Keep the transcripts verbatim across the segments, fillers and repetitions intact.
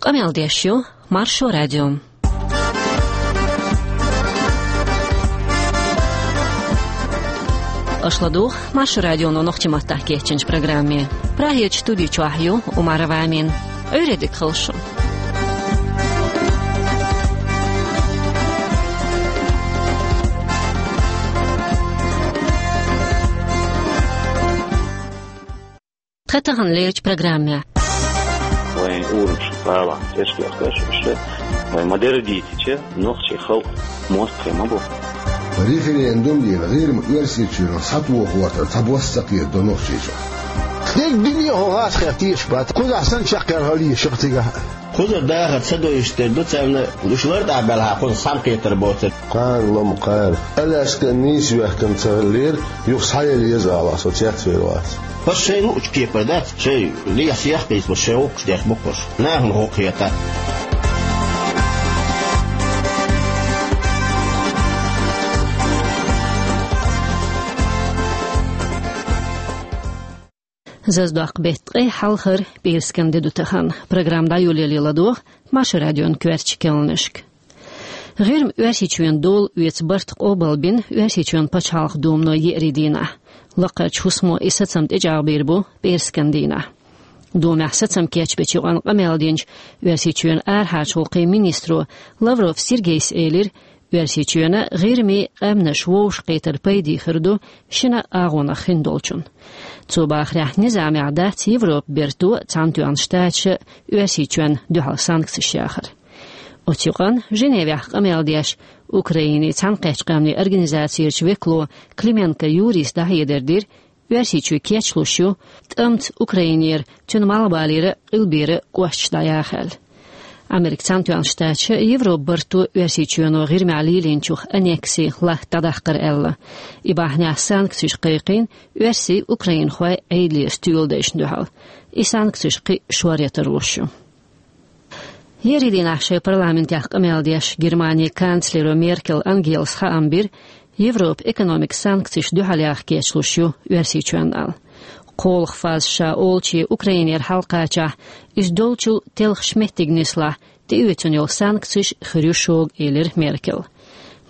Къамел деш ю Маршо радио. Аша ладугӀу Маршо радионо нохчийн маттахь кечйинчу программе. Прагерчу студи чохь ю Умарова Амина. Ӏуьйре дика хуьлда шун. Тхан тахана лерчу программехь. Вайн урамашна балахь тешкехкаш уьш, вай ма-дарра дийцича, нохчийн халкъ мостагӀий ма бу. Референдум дина, ГӀирма Оьрсийчоьнах схьатоху гӀортар цхьабосса ца кхетадо Нохчийчохь. Дерг дуьне хьо гӀазкхех тешаш бац, кхузахь санна чекхъяр хила еза шаьш цигахь. Кхузара дахар ца до иштта дерг ду, царна уьш лар тӀехь белахь кхуза схьа ма кхетар боцург. Кхана лом кхана. Аляска нийса вехкана ца хиллера, юха схьаелла еза алахь, со цецвер вац. Хьо шайн луучу кепара дац, шайн лехьа сехкъийца, шайн гӀуллакхаш деш бу хьуш. Нахана хӀун хета? Зазадоккху беттан ткъе хьалхара пӀераскан де ду тахана. Программа дӀайолале ладогӀа Маршо радион коьртачу керланашка. ГӀирма Оьрсийчоьнан дола оьцу барт къобалбина Оьрсийчоьнан пачхьалкхан Думано еарин дийнахь. Лакхарчу хӀусамо и сацам тӀечӀагӀбийр бу пӀераскан дийнахь. Думехь сацам кечбечу юкъанна къамел динчу Оьрсийчоьнан арахьарчу гӀуллакхийн министро Лавров Сергейс элира, Оьрсийчоьнан, ГӀирмин къаьмнаш вовшахкхетар пайде хир ду шина агӀонах хиндолчунна. Цо бахарехь, низамехь дац Европан Берто, Цхьаьнатоьхна Штаташа Оьрсийчоьнна дуьхьал санкцеш яхар. Оцу юкъанна Женевехь къамел деш Украинин Цхьаьнакхеттачу Къаьмнийн Организацерчу векало Клименко Юрис дӀахьедар дира, Оьрсийчоь кечлуш ю, тӀамца Украинера, цуьнан малхбалера, къилбера кӀошташ дӀаяха аьлла. Америкин Цхьаьнатоьхна Штаташа Европан Барто Оьрсийчоьно ГӀирмехь лелийначух аннекси латта дӀадаккхар аьлла. И бахьанехь санкцеш кхайкхийна оьрсий, украинхой Ӏедалера стоьла дайшна дуьхьал. И санкцеш кхин а шоръятар луш ю. Еарин дийнахь шайн парламентехь къамел деш Германин канцлеро Меркел Ангелас хаам бира, Европа экономикан санкцеш дуьхьал яха кечлуш ю Оьрсийчоьнна аьлла. КхоалгӀа фаза ша олучу Украинера хьалакхачахь, иза долчул телхаш меттиг нислахь, тӀеоьцуш йолу санкцеш хир ю шога, элира Меркела.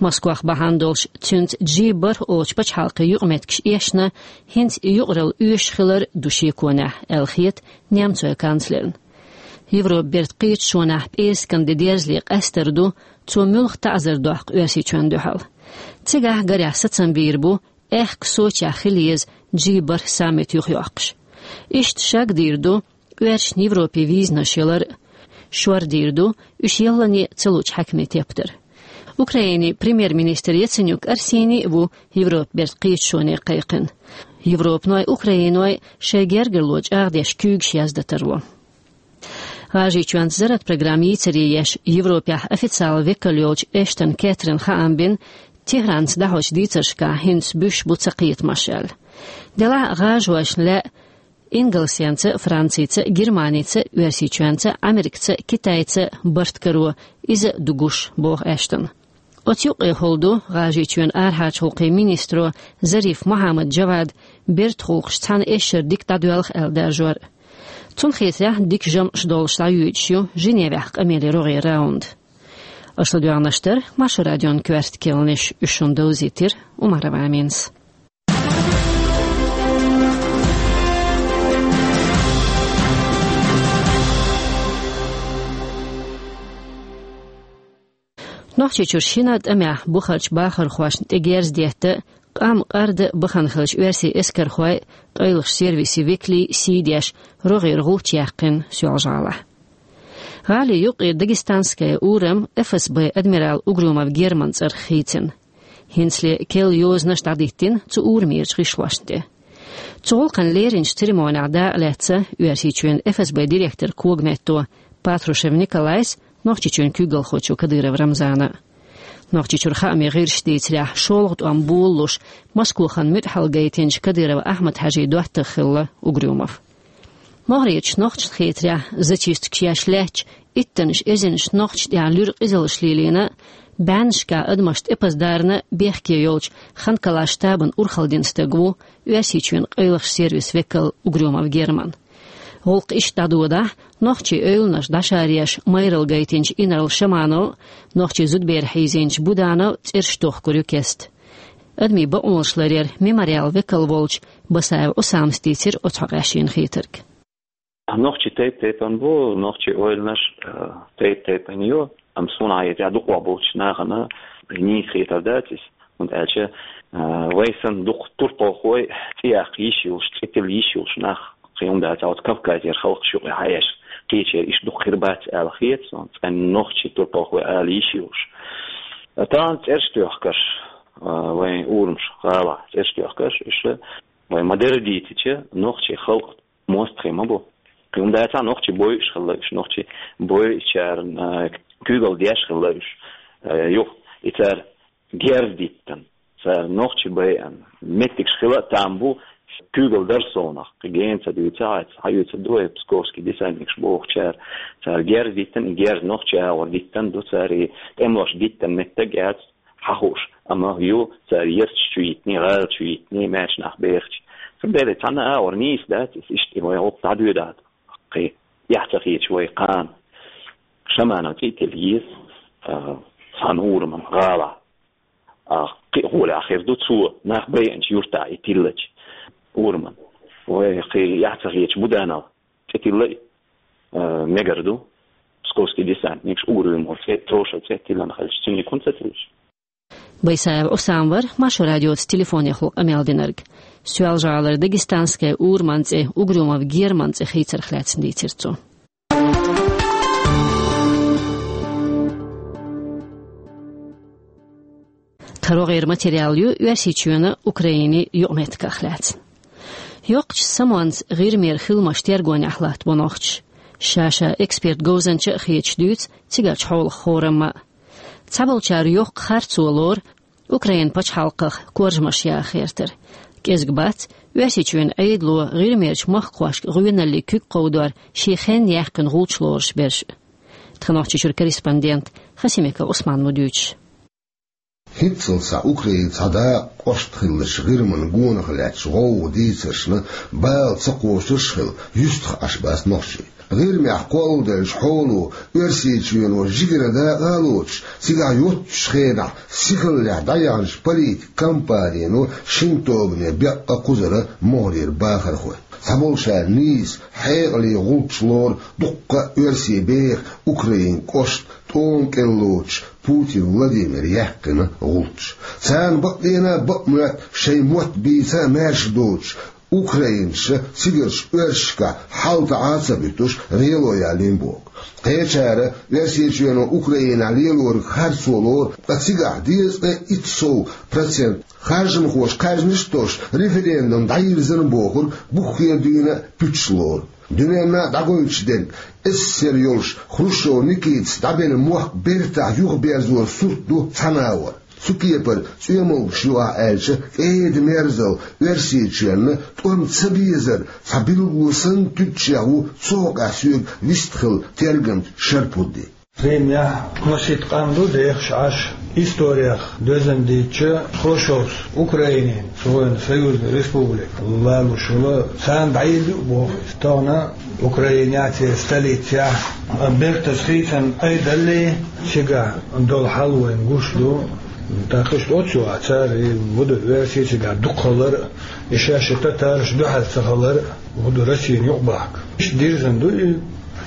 Москвахь бахьана долуш цуьнца джи бархӀ олучу пачхьалкхийн юкъаметтигаш эшна, хӀинца и юкъаралла оьшуш хилар ду шеконехь, аьлла хета немцойн канцлерна. Европан Бертан кхеташонехь пӀераскан де дерзале къастар ду, цо муьлха таӀзар доккху Оьрсийчоьнна дуьхьал. Цигахь гарехь сацам бийр бу, аьхка Сочехь хила еза джи бархӀ саммит юхайоккхуш. Иштта шаг дийр ду оьрсашна Европе визанаш ялар а. Шор дийр ду уьш яллане ца луучу хьаькамийн тептар. Украинин премьер-министр Яценюк Арсений а ву Европан Бертан кхеташоне кхайкхина. Европаной, украиной шайн гергарло чӀагӀдеш куьйгаш яздан тарло. ГӀажарийчоьнца зарратан программа йийцаре еш Европехь официалан векал йолчу Эштон Кэтрин хаам бина, Техранца дӀахьочу дийцаршкахь хӀинца буьсуш бу цакхетамаш аьлла. Делахь а гӀажаршна лаьа Ингалсенца, Францица, Германица, Оьрсийчоьнца, Америкаца, Китайца барт каро, иза ду гуш, боху Эштона. Оцу юкъе хӀума ду ГӀажарийчоьнан арахьарчу гӀуллакхийн министро Зариф Мухьаммад-Джавада бертан гӀуллакхаш цхьана эшшара дика дӀадоьлху аьлла даржор. Цунна хетарехь, дика жамӀаш долуш дӀайоьдуш ю Женевехь къамеле рогӀера раунд. Аша ладоьгӀнарш дара Маршо радион коьрта керланаш, уьш шуна довзийтира Умарова Аминас. Нохчийчуьра шина тӀамехь бухарчу бахархошна тӀе герз детта, къам къарда бахана хиллачу оьрсийн эскархойн, къайлахчу сервисийн векалийн сий деш, рогӀера гӀулч яьккхина Соьлжа-ГӀалахь. ГӀалин юккъе Дагестанская урам ФСБ-н адмирал Угрюмов Германан цӀарах хийцина. ХӀинцале керла йозанаш дӀадиттина цу урамерчу гӀишлошна тӀе. Цу гӀуллакхна леринчу церемонехь дакъа лаьцна Оьрсийчоьнан ФСБ-н директоран когаметто Патрушев Николайс, Нохчийчоьнан куьйгалхочо Кадыров Рамзана. Нохчийчуьра хаамийн гӀирсаша дийцарехь, шолгӀа тӀом болалуш, Москвахана муьтӀахь гайтинчу Кадыров Ахьмад-Хьаьжин доттагӀа хилла Угрюмов. МогӀарерчу нохчашна хетарехь, зачисткаш еш лаьтташ, иттаннаш эзарнаш нохчашна тӀехь луьра къизаллаш лелийна, бӀеннашкахь адамашна тӀепаза дарна бехке йолчу Ханкалан штабана урхалла дина стаг ву Оьрсийчоьнан къайлахчу сервисан векал Угрюмов Герман. ГӀуллакх иштта дӀадодахь, нохчийн ойланаш дӀашаръеш майралла гайтинчу инарла Шаманов а, нохчийн зудабер хьийзинчу Буданов а цӀераш тохкур ю кеста. Адамийн бакъонаш ларъяран мемориалан векал волчу Басаев Ӏусамас дийцира оцу хьокъехь шена хетарг. Нохчий тайп-тайпана бу, нохчийн ойланаш, а, тайп-тайпана ю, амма суна хетарехь дукхах болчу нахана нийса хетар дац иза, хӀунда аьлча, а, вай санна дукха турпалхой, цӀе яккха йиш йолуш, цӀе тилла йиш йолуш нах кхин хӀума дац, оцу Кавказера халкъаш юкъа хьаэш, кхечера иштта дукха хир бац аьлла хета суна, цӀена нохчий турпалхой ала йиш йолуш. Тахана цӀераш тоьхкарш, а, вайн урамаш, гӀалахь цӀераш тоьхкарш, иштта вай ма-дарра дийцича, нохчийн халкъ мостагӀий ма бу. Кхин хӀума дац, нохчий бойуш хилла уьш, нохчий бойучарна, а, куьйгалла деш хилла уьш, а, юха и цара герз диттина, цара нохчий байъина меттигаш хила а там бу, куьйгалла дара совнах, кхин гена ца дуьйцу хьайца, хьан юьйцур ду вай, псковский десантникаш бохучара, цара герз диттина, и герз нохчийн агӀор диттина ду, цара и тӀемалошна диттина меттиг яц хьан хууш, амма ю цара ерзаш чу йитиний, гӀала чу йитиний, маьрша нах бехача. Цундела цхьанна а агӀор нийса дац иза, иштта и вай гӀуллакх дӀадоьдахь, кхин эхь ца хеташ вай кхана Шаманов цӀе а тилла еза, а, цхьана ураман гӀалахь. А, кхин а гӀолехь хир ду цо, нах байинчу юьртахь и тиллачу ураман. Вай кхин эхь ца хеташ Буданов цӀе тилла а, а, мегар ду. Псковский десантникаш угар вуьйр ву цӀе, троша цӀе тиллина хилча, цуьнан хӀунда ца тиллаш? Байсаев Ӏусам вара Маршо радиоца телефонехула къамел динарг. Соьлжа-ГӀалара Дагестанская ураман цӀе Угрюмов Герман цӀе хийцарх лаьцна дийцира цо. Тхан рогӀера материал ю Оьрсийчоьнан, Украинин юкъаметтигах лаьцна. Йоккхачу самонца ГӀирмера хиламаш тергонехь латтабо нохчаш. Ша-ша эксперт говзанча а хеташ дуьйцу цигарчу хьолах хорамма а. Цхьаболчара йоккха харцо лору Украин пачхьалкхах коржамаш яха гӀертар. КӀезиг бац Оьрсийчоьнан Ӏедало ГӀирмерчу махкахошка гӀоьналлин куьг кховдор шен хенна яьккхина гӀулч лоруш берш а. Тхан Нохчийчуьра корреспондент Хасимиков Ӏусман ма дуьйцуш. ХӀинццалц схьа Украинан цхьа дакъа кӀошт хиллачу ГӀирман гонах лаьттачу гӀовгӀа дийцаршна бала ца кхочурш а хилла, юьстах Ӏаш бац нохчий. ГӀирмехь кхолладеллачу хьоло Оьрсийчоьно жигара дакъа а лоцуш, цигахь йоццачу хенахь сихаллехь дӀаяханчу политикан кампанино шина тобане беккъа кхузара могӀарера бахархой. Цхьаболчара нийса хьекъале гӀулч лору дуккха а оьрсий беха Украинан кӀошт тӀома кӀел лоцуш Путин Владимира яьккхина гӀулч. Царна бакъдена а бакъ моьтту шайн мотт бийца а маьрша доцуш, украинаша цигарчу оьрсашкахь хьал таӀа а ца буьтуш, гӀело ялийна боху. Кхечара Оьрсийчоьно Украинехь лелориг харцо лору, ткъа цигахь дезткъе итт сов процент харжамхоша кхаьжнаш а тосуш, референдум дӀайирзина бохург буххера дуьйна а пуьташ лору. Дуьненна а дӀагойтуш дерг, эсэсэр йолуш Хрущев Никитас дӀабелла мохк бертахь юхаберзоран сурт ду цхьана агӀор. Цу кепара цӀоьмалгаш ю ахь аьлча, кӀеда-мерзалла Оьрсийчоьнна тӀом ца безар цхьа билгало санна туьдучех ву цу хьокъехь соьга вистхилла тергамча Шарпудди. Римехь масийтта къам ду дехаш Ӏаш, историях доьзна дийцича, Хрущевс Украинин, цу вайн союзный республика, лалуш вала, царна дӀайилла ю боху иза. Тахана Украинехь, церан столицехь, а, бертаза хийцина Ӏедаллий, цигахь долу хьал вайна гуш ду. ТӀаккха иштта оццу а цара и ву ду оьрсий цигахь дукха хилар а, и шаьш и татараш дуьхьал ца хилар а, ву ду Россина юкъабахка. Иштта дирзина ду и,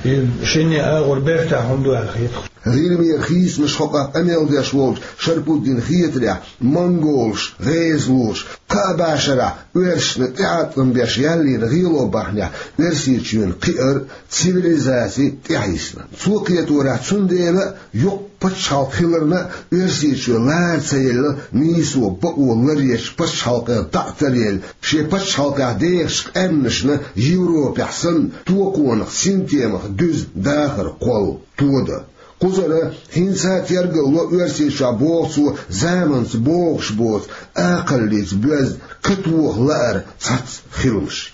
и шинне агӀор бертахь хӀума ду аьлла хеташ. ГӀирмера хийцамаш хьокъехь къамел деш волчу Шарпуддина хетарехь, монголаш, гӀезалоша кхаа бӀешарахь оьрсашна тӀеӀаткъам беш яьллера гӀело бахьанехь Оьрсийчоьнан кхиар а, цивилизаци а тӀехьийсина. Цо кхеторехь, цундела а йоккха пачхьалкх хиларна а Оьрсийчоь лара ца елла, нийсо, бакъо ларъечу пачхьалкхех дӀа а таръелла, шен пачхьалкхехь дехачу къаьмнашна Европехь санна токонах, синтемах дуьзна дахар кхолла, тодан. Кхузара хӀинца а тергалло Оьрсийчохь, боху цо, заманца богӀуш боцу, акхаллица боьзна катоха лаар цхьацца хиламаш.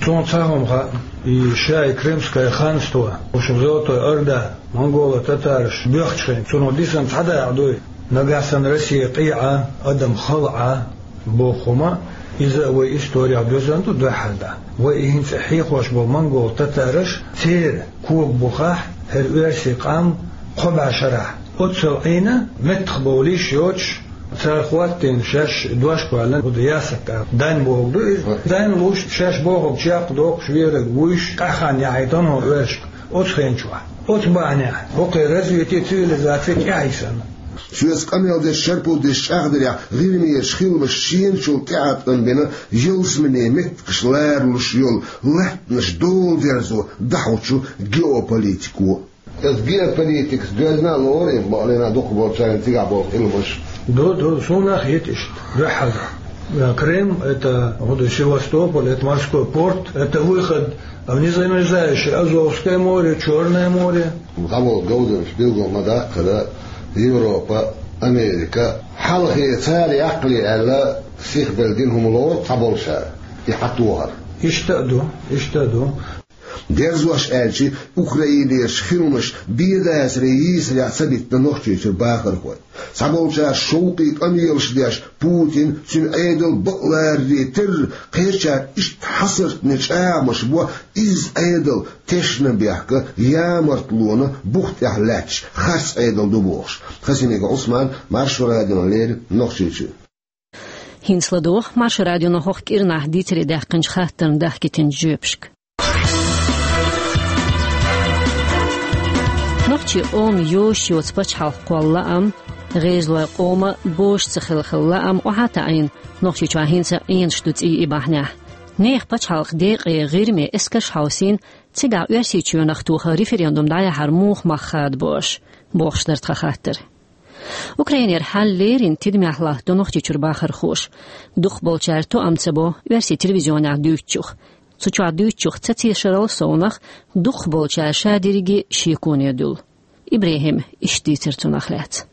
Суна цхьа хӀума хаьа, и ша и Крымское ханство, в общем, Золотой Орда, монголо-татараш боьхначу хенахь, цунах дисина цхьа дакъа дуй, нагахь санна Россия къе Ӏа, адам хала Ӏа, боху хӀума, Иза а вай исторехь доьзна ду дуьххьара дӀа. Вай и хӀинца хьехош болу монгол-татараш, церан кога бухахь, хӀара оьрсийн къам кхо бӀе шарахь. Оццул Ӏийна, меттахбовлийла йоцуш, цара хӀоттийна шаьш дош кхоьллина, хӀун ду, ясакъ, дайн бохург ду иза. Дайн луш, шаьш бохург чекхдоккхуш, верг вуьйш, къаьхьанна яхьийтина хӀокху оьрсашка оцу хенчохь. Оцу бахьанехь хӀокху развитие цивилизации тӀаьхьа йисина. Соьца къамел деш, шарпу деш чӀагӀдарехь, ГӀирмерчу хиламаша шена чул тӀеӀаткъам бина ялсаманин меттигаш ларалуш йолу латтанаш доладерзо дӀахьочу геополитико. Аса геополитикас доьзна а лору, бакъалина дукхахболчарна цигахь болу хиламаш. Ду, ду, суна а хета иштта, дуьххьара. Крым, это, хӀун ду, Севастополь, это морской порт, это выход в незамерзающее Азовское море, Чёрное море. ДӀаболу говзанчаша билгал ма-даккхара, Европа, Америка, хьалхе цара яккхале аьлла, сихбелла дина хӀума лору цхьаболчара и хьатохар. Иштта а ду, иштта а ду. Дерзош аьлча, Украинерчу хиламаша бен дацаре йийсарехь ца биттина Нохчийчуьра бахархой. Цхьаболчара шовкъе къамелаш деш, Путин, цуьнан Ӏедал бакъ ларарий терра, кхечара иштта хьасартане чӀагӀамаш бо, изза Ӏедал тешнабехк, ямартлонан бух тӀехь лаьтташ харц Ӏедал ду бохуш. Хасимиков Ӏусман, Маршо радиона леррина, Нохчийчуьра. ХӀинца ладогӀа Маршо радионо хӀокху кӀирнахь дийцаре даьккхинчу хаттарна дахкийтинчу жоьпашка. Нохчийн къоман йозуш йоцу пачхьалкх кхолла лаам, гӀезалойн къоман бозуш ца хилла хилла лаам охьа а таӀийна, Нохчийчохь хӀинца а Ӏенаш ду цӀий и бахьанехь. Нехан пачхьалкхан декъе ГӀирме эскарш хьовсийна, цигахь Оьрсийчоьнах тоха референдум дӀаяхьар муха мах хадабо аша, бохуш дара тхан хаттар. Украинера хьал леррина тидамехь латтадо Нохчийчуьра бахархоша. Дукхахболчара тоам ца бо оьрсийн телевизионехь дуьйцучух. Цу чохь дуьйцучух ца тешарал совнах, дукхахболчара ша дерриге шеконе дуьллу. ИбрахӀима иштта дийцира цунах лаьцна.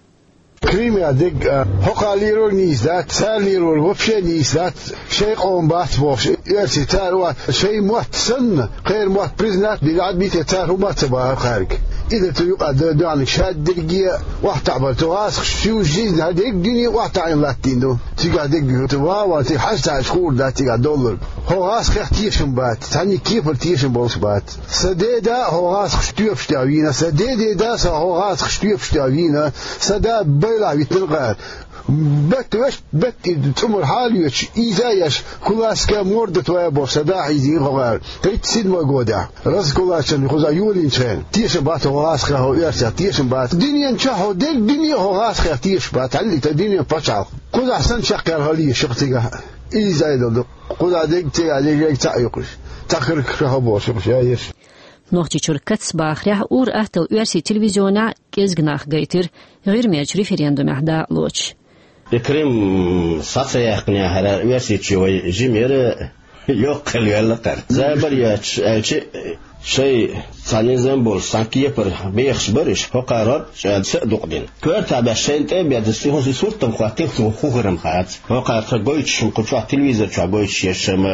Кримехь дерг а, хӀокхара лелорг нийса дац, цара лелорг вообще нийса дац, шайн къоман бац бохуш, оьрсий цара вац, шайн мотт санна, кхеран мотт признать дина Ӏад бийте, цара хӀума а ца бахара кхаьрга. Иза цу юкъа д-, доьхьаниг ша дерриге а охьатаӀбар, цу гӀазкхаша всю жизнь хӀара дерриг дуьне охьатаӀийна латтийна ду. Цигахь дерг ю, цу ван-ван цига хьаьжцӀа хуур дац цигахь долларг. ХӀо гӀазкхех тешам бац, цхьаннех кепара тешам болуш бац. Сан деда а хӀо гӀазкхаша тоьпаш тӀехь вийна, сан дедеда а сан хӀо гӀазкхаша тоьпаш тӀехь вийна, сан да байлахь витина къара. Бат вешт, бат и цӀумар хьалоьцуш, иза а еш, кулацкая морда твоя бохуш, сан да хьийзийна хӀокхара. Тридцать седьмой годехь, раскулаченный кхузахь йолийначу хенахь. Тешам бац хӀо гӀазкхех, хӀо оьрсех, тешам бац. Дуьнен чохь хӀо дерриг дуьне хӀо гӀазкхех тешаш бац, хьаллита дуьнен пачхьалкх. Кхузахь санна чекхъяьлла хила еза кху цигахь. Иза айдал ду. Кхузахь дерг, цигахь дерг, ерг цхьаъ ю кхуш. Цхьа хирг ша хӀо бохуш ю кхуш, я еш. Нохчийчуьра кац бахарехь, ур-атталла оьрсийн телевизионехь кӀезиг нах гайтира ГӀирмерчу референдумехь дакъалоцуш. И Крым схьа ца яьккхинехь, хӀара Оьрсийчоь вай жима яра, йоккха хила ваьлла кхара. Забар йоцуш аьлча, шайн цхьа низам болуш, цхьана кепара бехаш бара уьш, хӀокхара хӀорш аьлла са а дукха дина. Коьртахь беш шайна тӀе а беъна, цу хӀун суртам хӀоттийна, хӀун хир-м хац. ХӀокхара тхан гойтуш хӀума кху чохь телевизор чохь гойтуш еш-м,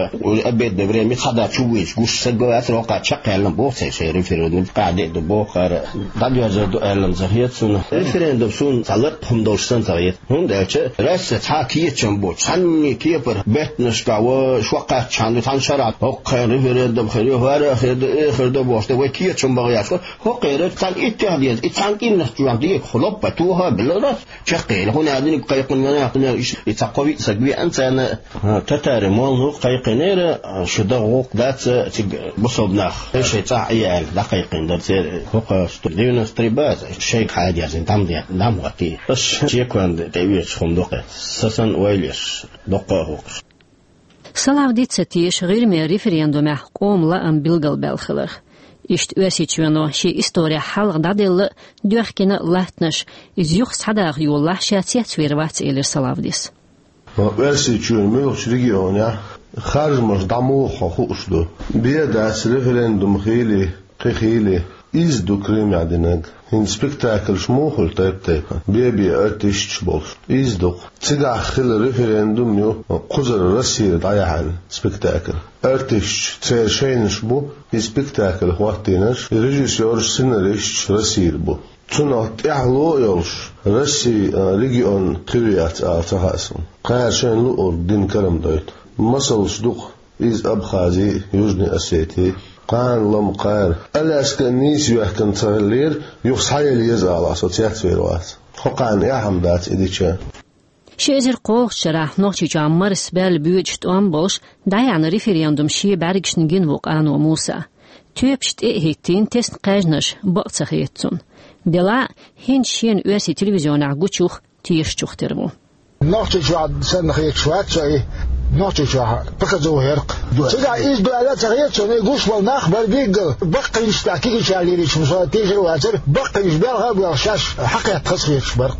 обедное время цхьа да чу вуьйцуш гуш саг вацара, хӀокхара чекхъяьлла боху церан шайн референдум, къахьде а ду боху хӀара, дӀадоьрзур ду аьлла-м ца хета суна. Референдум суна цхьа ларкъа хӀума долуш санна ца хета, хӀунда аьлча Россе цхьа а кечам бу, цхьанне кепара беттанашкахь ва шо кхаьччахьана ду, цхьана шарахь хӀокху хенахь референдум хир ю, хӀара а хир ду, э, хир ду бохуш, тӀе вай кечам бахьаш ва, хӀокхеран цхьана иттех деза, и цхьана кӀирнах чохь дегахь лоппа тоха а белла Росс. Чекхъели, хӀунда аьлла диниг кхайкхина ванах, хӀунда аьлла иштта и цхьа кхо-виъ саг веана царна, а, татари монзу кхайкхинера, а, шу дагӀа гӀуллакх дац, а, цига бусалба нах, шайн цӀахь Ӏе аьлла, дӀакхайкхина дара церан хӀокху девяносто три база, шайга хьадерзина, дам де-, дам хӀоттий. Аша чеконда тӀеоьцуш хӀума ду-кх, сан санна ойла еш, доккха а хӀокхуш. Салавдис ца теша ГӀирмера референдумехь къоман лаам билгалбаьлла хиларх. Иштта Оьрсийчоьно шен исторехь хьалха дӀаделла а, доьхкина а латтанаш, иза юха схьадаха йолалахь, ша цецвер вац, элира Салавдис. Оьрсийчоьнан муьлххачу регионехь харжамаш дӀа муха хьо хууш ду? Бен дац референдум хийла, кхин хийла. Иза ду Крымехь динарг. ХӀинца спектакльш муха хуьлу тайп-тайпана, бен-бен артисташ болуш? Иза ду-кх. Цигахь хилла референдум ю кхузара Россера дӀаяхьаран спектакль. Артисташ, церан шайнаш бу и спектакль хӀоттийнарш, и режиссерш, сценаристаш Россера бу. Цунах тӀаьхьало а йолуш, Россин, а, регион хир яц ала ца хаьа суна. Кхара шайна луург дина кара-м дойту. Масалш дукха, иза Абхази, Южный Осети, кхана лам кхара. Аляска нийса йоьхкан ца хиллера, юха схьаелла еза ала со цецвер вац. Хьо кхана эхьам дац и дича. Ши эзар кхоалгӀачу шарахь Нохчийчохь марс баьлла боьдуш тӀом болуш, дӀаяьхьна референдум шен бӀаьргашна гина ву Къано Муса. Тоьпаш тӀе а хӀиттийна, тесна кхаьжнаш бакъ ца хета цунна. Делахь а, хӀинца шена оьрсийн телевизионехь гучух, тешачух тера ву. Нохчийчохь санна хеташ вац со и, Нохчийчохь пхаза хӀеркх. Цигахь иза ду аьлла а ца хета суна, и гуш болу нах бара билггал, баккхийнаш тӀехь кегийчара лелийча, со тешар а вацара, баккхийнаш белха а боьлхуш, шаьш хьакхетта хаза хеташ бара.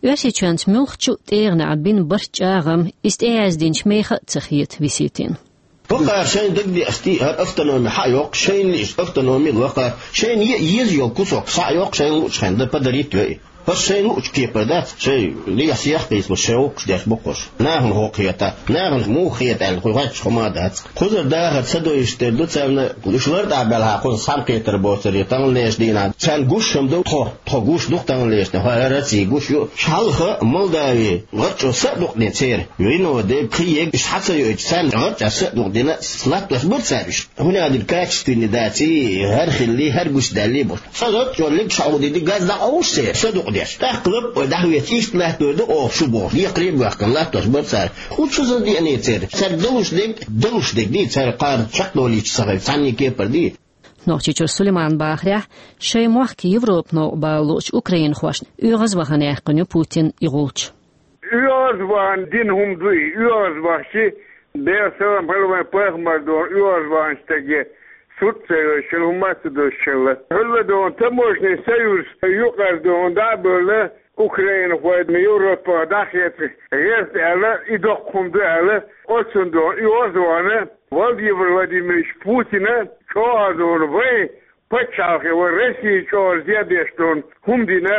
Оьрсийчоьнца муьлххачу а тӀегӀанехь бина барт, чӀагӀам, иза тӀеяздинчу мехах а ца хета Виситина. Бакъара шайна дагадеъаш дий, хӀара автономи хьа а йоккхуш, шайна лиъчу автономи лакхара, шайна е а еза йолу кусок схьа а йоккхуш, шайна луучу хенахь дан подарить йой. ХӀорш шайна луучу кепара дац, шайн лехьа-сехьа кхийсалуш, шайн гӀуллакхаш деш бу хӀорш. Нахана хӀокху хета, нахана муха хета аьлла, кху хӀотташ хӀума а дац. Кхузара дахар ца дойуш тера ду царна, уьш лартӀахь белахь, кхуза цхьаьна кхетар боцура, таханлерчу дийнахь. Царна гуш хӀума ду тхо, тхо гуш ду таханлерчу дийнахь, хӀара Россия гуш ю. Хьалха Молдави гӀарчо са а дукъдина церан, вино де, кхин ег, уьш схьа ца йоуьйтуш, царна гӀарча са а дукъдина, латтош бара цара уьш. ХӀунда аьлла качественный дац и, хӀара хилли, хӀара гуш даьлли бу. Сан гӀарчо легаш хьо гӀо дийди, газ дӀакъовлуш церан, са дукъдеш. ТӀаккха лаппой дӀахӀоьттича, иштта латтор ду оха шу бохуш, декхаре а боьхкина латтош бара цара. ХӀун цу сан деъне церан? Цаьрга далуш дерг, далуш дерг дий, цара кхара чекхдолийча ца хилча, цхьанне кепара дий? Нохчийчуьра Сулайман бахарехь, шайн мохк Европа новкъа бала луучу украинхошна оьгӀаз вахана яьккхина ю Путин и гӀулч. ОьгӀаз вахана дина хӀума ду и, оьгӀаз вахчи, Делан салам хила вайн пайхамар дона, оьгӀаз вахана стаге сурт ца йойуш хилла, хӀума а ца дозуш хилла. Хьуьлла дона таможенный союз юкъара дона дӀа а бевлла, украинхой Европа дӀахецна гӀерта аьлла, и доккха хӀума ду аьлла, оцунна дона и оьгӀаз вахана Владимир Владимирович Путина чӀогӀа дона вайн пачхьалкхе, вайн Россия чӀогӀа зе деш дона хӀума дина,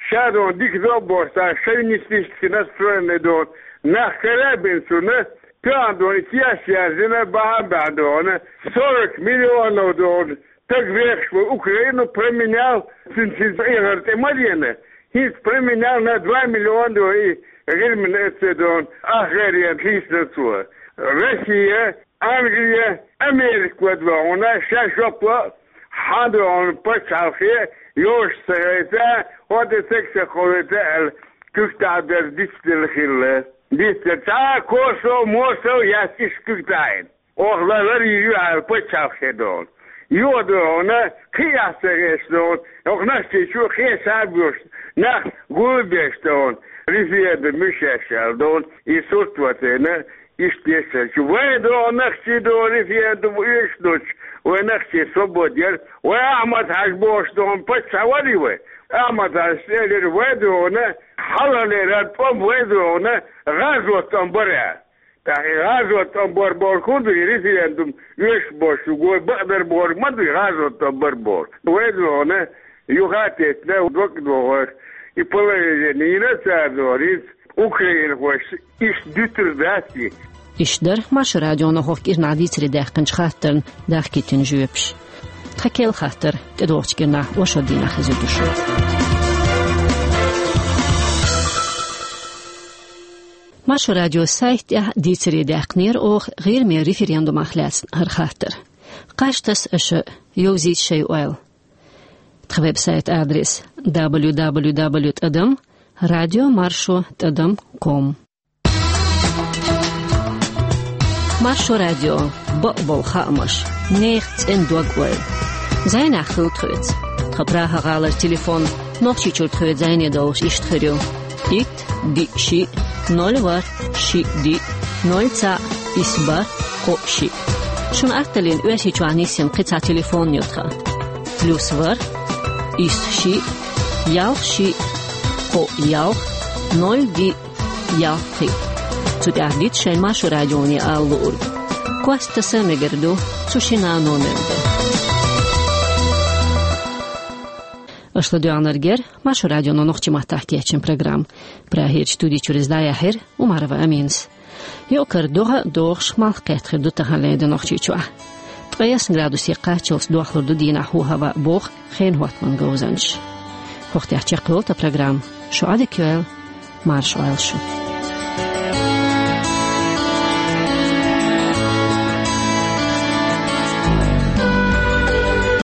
ша дона дика до а бохуш, цхьа шовинистически настроенный дона нах кара а бина цунна, тоьхна дона и теш яздина, бахьана баьхна дона, сорок миллионов дона стаг вехаш ву Украину променял, цуьнан цуьнца Ӏехар тӀе ма дена, хӀинца променял на два миллиона дона и гӀирмина эццедона, ах гӀайре лийсина цо. Россия, Англия, Америка вада вахана, ша жоп ло, хьан дона пачхьалкхе йош ца хилийта, хӀода ца кховлийта аьлла, куьг тӀехь дара дицделла хилла. Дицделла цхьа а косо, мосо яц иштта куьг тӀехь а. Оха лар ларйийр ю аьлла пачхьалкхе дона. Юха дона, кхин а ца хеташ дона, оха Нохчийчу кхин а схьа а боьш, нах гулбеш дона, референдум ю шаьш аьлла дона, и сурт вацийна, иштта дешарчу. Вай дона нохчий дона референдум оьшуш долчу, вай нохчий свобода яра, вай Ахьмад-Хьаьжа бохуш дона паччахь варий вай? Ахьмад-Хьаьжас элира, вай дона хьалхалера тӀом вай дона гӀазот тӀом бара. ТӀаккха и гӀазот тӀом бар бохург хӀун ду, и референдум оьшуш болуш ю, гой бакъдар бохург ма ду и гӀазот тӀом бар бохург. Вай дона юха а теттина, дог а дохуш, и положение йина цара дона, хӀинца украинхошца иштта дуьтур дац и. Иштта дара Маршо радионо хӀокху кӀирнахь дийцаре даьккхинчу хаттарна дахкийтина жоьпаш. Тхан керла хаттар тӀедогӀучу кӀирнахь оршот дийнахь хезар ду шуна. Маршо радион сайта тӀехь дийцаре даьккхинера оха ГӀирмера референдумах лаьцна хӀара хаттар. Кхаж таса аша, йовзийта шайн ойла. Тхан веб-сайт адрес: дабл ю дабл ю дабл ю тӀадам радио маршо тӀадам ком. Маршо радио, бакъболу хаамаш, нехан цӀена дог-ойла. Зайнехь хуьлда тхоьца. Тхан Прага-гӀалара телефон, Нохчийчуьра тхоьца зайне долуш, иштта хир ю: итт, диъ, шиъ, ноль, ворхӀ, шиъ, диъ, ноль, цхьаъ, исс, бархӀ, кхоъ, шиъ. Шуна атталлина Оьрсийчохь нисйина кхин цхьа телефон ю тхан: плюс ворхӀ, исс, шиъ, ялх, шиъ, кхоъ, ялх, ноль, диъ, ялх, кхин. Цу тӀехь дита шайн Маршо радионе ала луург. Кост таса а мегар ду цу шина номерна. Аша ладоьгӀнарг яра Маршо радионо нохчийн маттахь кечйина программа. Прагерчу студи чуьра иза дӀаяьхьира Умарова Аминас. Юкъара догӀа а догӀуш, малх кхетта хир ду таханлера де Нохчийчохь. Ткъе ялх градусе кхаччалц дохлур ду дийнахь хӀу-хӀаваъ, боху хенан хӀоттаман говзанчаша. ХӀокху тӀехь чекхйолу тхан программа. Шу Ӏадика йойла, марша Ӏойла шу.